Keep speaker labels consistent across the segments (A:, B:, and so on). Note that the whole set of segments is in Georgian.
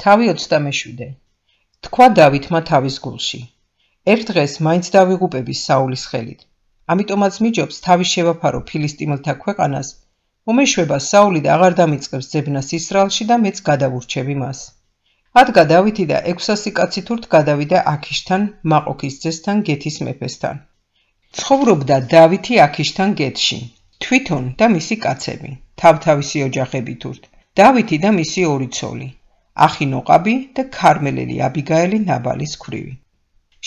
A: თავი 27. თქვა დავითმა თავის გულში. ერთ დღეს მაინც დავიღუპები საულის ხელით. ამიტომაც მიჯობს თავი შევაფარო ფილისტიმელთა ქვეყანას, მომეშვება საული და აღარ დამიწყებს ძებნას ისრაელში და მეც გადავურჩევი მას. ადგა დავითი და 600 კაცი თურთ გადავიდა აქიშთან, მაყოქის ძესთან, გეთის მეფესთან. ცხოვრობდა დავითი აქიშთან გეთში, თვითონ და მისი კაცები, თავთავისი ოჯახები თურთ, დავითი და მისი ორი ცოლი, ახინოყაბი და ქარმელელი აბიგაელი ნაბალის ქვრივი.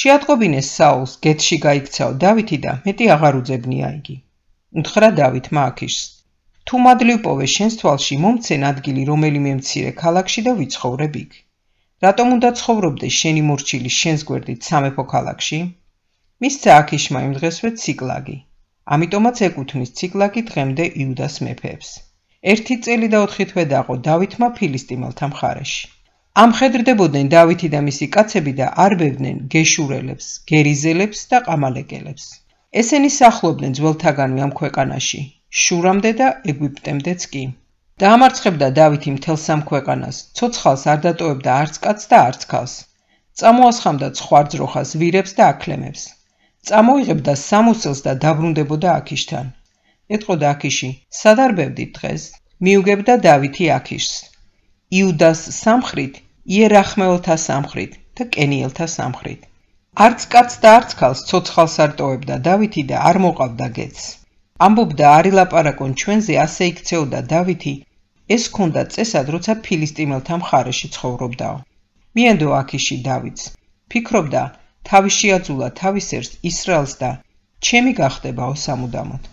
A: შეატყობინეს საულს გეთში გაიქცაო დავითი და მეტი აღარ უძებნია იგი. უთხრა დავითმა აქიშს, თუ მადლივ პოვე შენს თვალში მომცენ ადგილი რომელიმე მცირე ქალაქში და ვიცხოვრებ იქ. რატომ უნდა ცხოვრობდე შენი მორჩილი შენს გვერდით სამეფო ქალაქში? მისცა აქიშმა იმ დღესვე ციკლაგი. ამიტომაც ეკუთვნის ციკლაგი დღემდე იუდას მეფეებს. 1 წელი და 4 თვე დაყო დავითმა ფილისტიმელთა მხარეში. ამხედრდებოდნენ დავითი და მისი კაცები და არბევდნენ გეშურელებს, გერიზელებს და ყამალეკელებს. ესენი სახლობდნენ ძველთაგანვე ამ ქვეყანაში, შურამდე და ეგვიპტემდეც კი. დაამარცხებდა დავითი მთელს ამ ქვეყანას, ცოცხალს არ დატოვებდა არც კაცს და არც ქალს. წამოასხამდა ცხვარძროხას, ვირებს და აქლემებს. წამოიღებდა სამოსელს და დაბრუნდებოდა აქიშთან. ეტყოდა აქიში, სად არბევდით დღეს? მიუგებდა დავითი აქიშს. იუდას სამხრით, იერახმეელთა სამხრით და კენიელთა სამხრით. არც კაცს და არც ქალს ცოცხალს არ ტოვებდა დავითი და არ მოყავდა გეთს. ამბობდა არ ილაპარაკონ ჩვენზე, ასე იქცეოდა დავითი, ეს ჰქონდა წესად, როცა ფილისტიმელთა მხარეში ცხოვრობდაო. მიენდო აქიში დავითს. ფიქრობდა, თავი შეაძულა თავის ერს ისრაელს და ჩემი გახდებაო სამუდამოდ.